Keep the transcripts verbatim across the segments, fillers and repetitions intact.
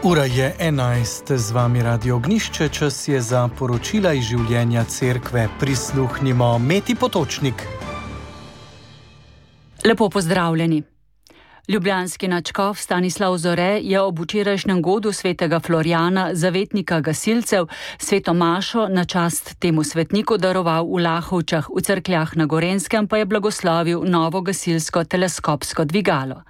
Ura je enajst, z vami Radio Ognišče, čas je za poročila iz življenja cerkve. Prisluhnimo Meti Potočnik. Lepo pozdravljeni. Ljubljanski nadškof Stanislav Zore je ob včerajšnjem godu svetega Florjana, zavetnika gasilcev, sveto mašo na čast temu svetniku daroval v Lahovčah, v Cerkljah na Gorenjskem pa je blagoslovil novo gasilsko teleskopsko dvigalo.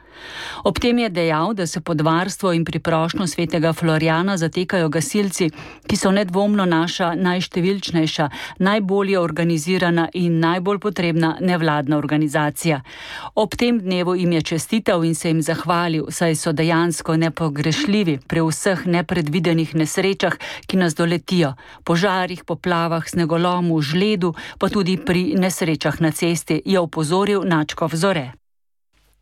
Ob tem je dejal, da se pod varstvo in pri prošnjo svetega Florjana zatekajo gasilci, ki so nedvomno naša najštevilčnejša, najbolje organizirana in najbolj potrebna nevladna organizacija. Ob tem dnevu jim je čestital in se jim zahvalil, saj so dejansko nepogrešljivi pri vseh nepredvidenih nesrečah, ki nas doletijo, požarih, poplavah, snegolomu, žledu, pa tudi pri nesrečah na cesti, je opozoril nadškof Zore.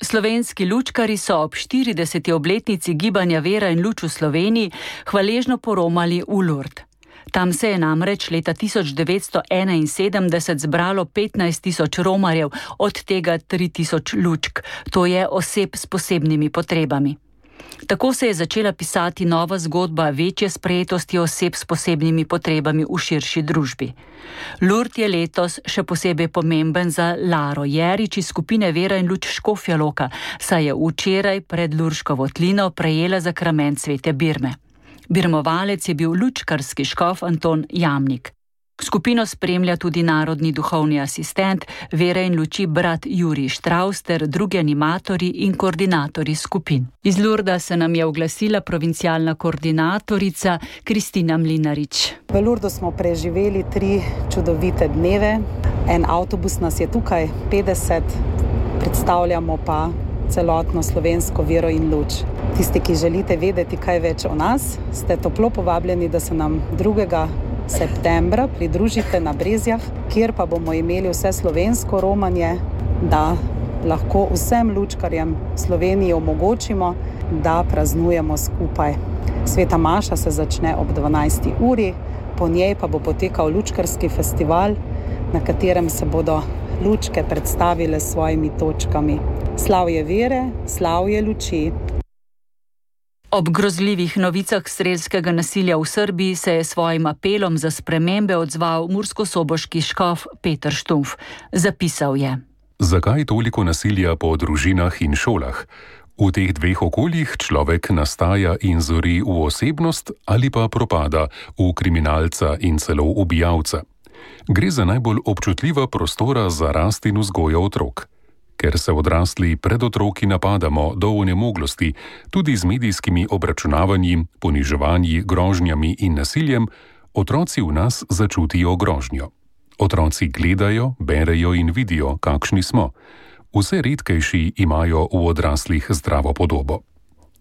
Slovenski lučkarji so ob štirideseti obletnici gibanja Vera in luč v Sloveniji hvaležno poromali v Lourdes. Tam se je namreč leta tisoč devetsto enainsedemdeset zbralo petnajst tisoč romarjev, od tega tri tisoč lučk, to je oseb s posebnimi potrebami. Tako se je začela pisati nova zgodba večje sprejetosti oseb s posebnimi potrebami v širši družbi. Lourdes je letos še posebej pomemben za Laro Jerič iz skupine Vera in luč Škofja Loka, saj je včeraj pred Lurško votlino prejela zakrament svete Birme. Birmovalec je bil lučkarski škof Anton Jamnik. Skupino spremlja tudi narodni duhovni asistent Vere in luči brat Jurij Štravs ter drugi animatorji in koordinatorji skupin. Iz Lourdesa se nam je oglasila provincialna koordinatorica Kristina Mlinarič. V Lourdesu smo preživeli tri čudovite dneve. En avtobus nas je tukaj, petdeset, predstavljamo pa celotno slovensko vero in luč. Tisti, ki želite vedeti kaj več o nas, ste toplo povabljeni, da se nam drugega septembra pridružite na Brezjah, kjer pa bomo imeli vse slovensko romanje, da lahko vsem lučkarjem Sloveniji omogočimo, da praznujemo skupaj. Sveta maša se začne ob dvanajsti uri, po njej pa bo potekal lučkarski festival, na katerem se bodo lučke predstavile s svojimi točkami. Slavje vere, slavje luči. Ob grozljivih novicah strelskega nasilja v Srbiji se je svojim apelom za spremembe odzval murskosoboški škof Peter Štumf. Zapisal je: Zakaj toliko nasilja po družinah in šolah? V teh dveh okoljih človek nastaja in zori v osebnost ali pa propada v kriminalca in celo ubijalca. Gre za najbolj občutljiva prostora za rast in vzgojo otrok. Ker se odrasli pred otroki napadamo do onemoglosti, tudi z medijskimi obračunavanji, poniževanji, grožnjami in nasiljem, otroci v nas začutijo grožnjo. Otroci gledajo, berejo in vidijo, kakšni smo. Vse redkejši imajo v odraslih zdravo podobo.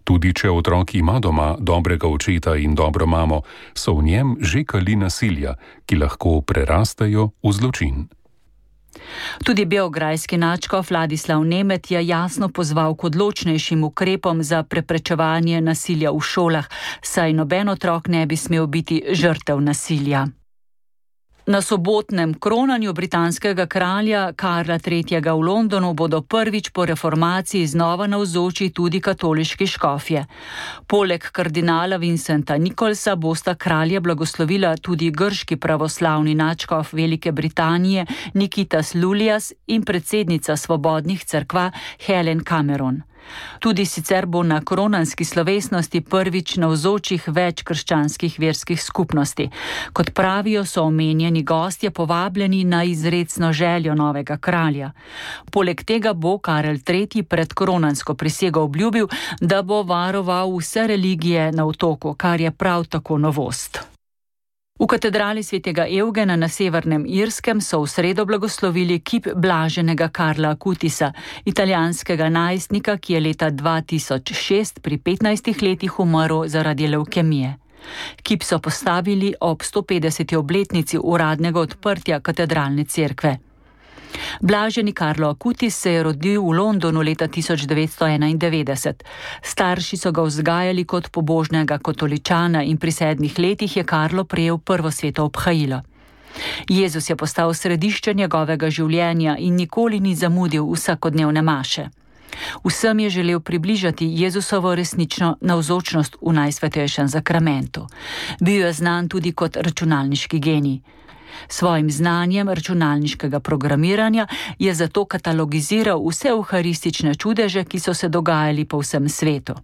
Tudi če otrok ima doma dobrega očeta in dobro mamo, so v njem že kali nasilja, ki lahko prerastejo v zločin. Tudi beograjski nadškof Vladislav Nemet je jasno pozval k odločnejšim ukrepom za preprečevanje nasilja v šolah, saj noben otrok ne bi smel biti žrtev nasilja. Na sobotnem kronanju britanskega kralja Karla tretjega v Londonu bodo prvič po reformaciji znova navzoči tudi katoliški škofje. Poleg kardinala Vincenta Nicholsa bosta kralja blagoslovila tudi grški pravoslavni nadškof Velike Britanije Nikitas Lulias in predsednica Svobodnih cerkva Helen Cameron. Tudi sicer bo na kronanski slovesnosti prvič navzočih več krščanskih verskih skupnosti. Kot pravijo, so omenjeni gostje povabljeni na izrecno željo novega kralja. Poleg tega bo Karel tretji pred kronansko prisego obljubil, da bo varoval vse religije na otoku, kar je prav tako novost. V katedrali svetega Evgena na Severnem Irskem so v sredo blagoslovili kip blaženega Karla Akutisa, italijanskega najstnika, ki je leta dva tisoč šest pri petnajstih letih umrl zaradi levkemije. Kip so postavili ob stopetdeseti obletnici uradnega odprtja katedralne cerkve. Blaženi Karlo Akutis se je rodil v Londonu leta tisoč devetsto enaindevetdeset. Starši so ga vzgajali kot pobožnega katoličana in pri sedmih letih je Karlo prejel prvo sveto obhajilo. Jezus je postal središče njegovega življenja in nikoli ni zamudil vsakodnevne maše. Vsem je želel približati Jezusovo resnično navzočnost v Najsvetejšem zakramentu. Bil je znan tudi kot računalniški genij. Svojim znanjem računalniškega programiranja je zato katalogiziral vse euharistične čudeže, ki so se dogajali po vsem svetu.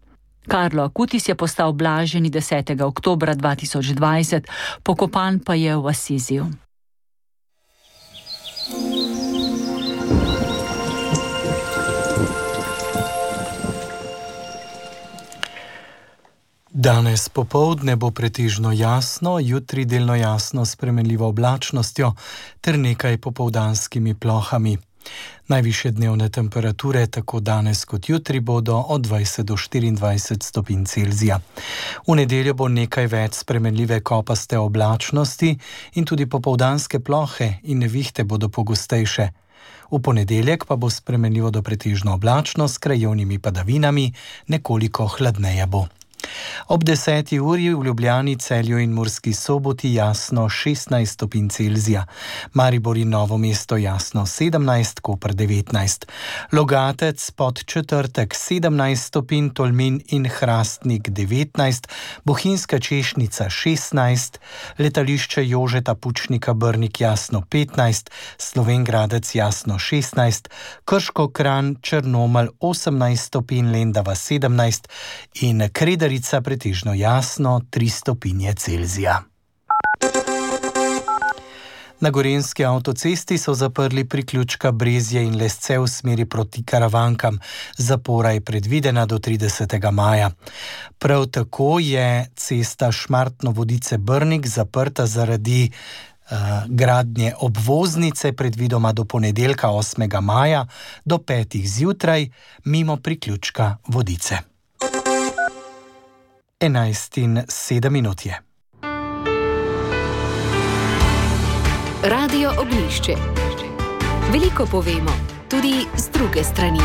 Carlo Acutis je postal blaženi desetega oktobra dva tisoč dvajset, pokopan pa je v Asiziju. Danes popoldne bo pretežno jasno, jutri delno jasno s spremenljivo oblačnostjo ter nekaj popoldanskimi plohami. Najvišje dnevne temperature tako danes kot jutri bodo od dvajset do štiriindvajset stopinj Celzija. V nedeljo bo nekaj več spremenljive kopaste oblačnosti in tudi popoldanske plohe in nevihte bodo pogostejše. V ponedeljek pa bo spremenljivo do pretežno oblačno s krajevnimi padavinami, nekoliko hladneje bo. Ob deseti uri v Ljubljani, Celju in Murski Soboti jasno šestnajst stopinj Celzija, Maribor in Novo mesto jasno sedemnajst, Koper devetnajst, Logatec pod četrtek sedemnajst stopinj, Tolmin in Hrastnik devetnajst, Bohinjska Češnica šestnajst, Letališče Jožeta Pučnika Brnik jasno petnajst, Slovenj Gradec jasno šestnajst, Krško Kranj Črnomelj osemnajst stopinj, Lendava sedemnajst in Kredarica pretežno jasno tri stopinje Celzija. Na Gorenjski avtocesti so zaprli priključka Brezje in Lesce v smeri proti Karavankam. Zapora je predvidena do tridesetega maja. Prav tako je cesta Šmartno-Vodice-Brnik zaprta zaradi uh, gradnje obvoznice, predvidoma do ponedeljka osmega maja do petih zjutraj mimo priključka Vodice. enajst in sedem minut je. Radio Ognjišče. Veliko povemo, tudi z druge strani.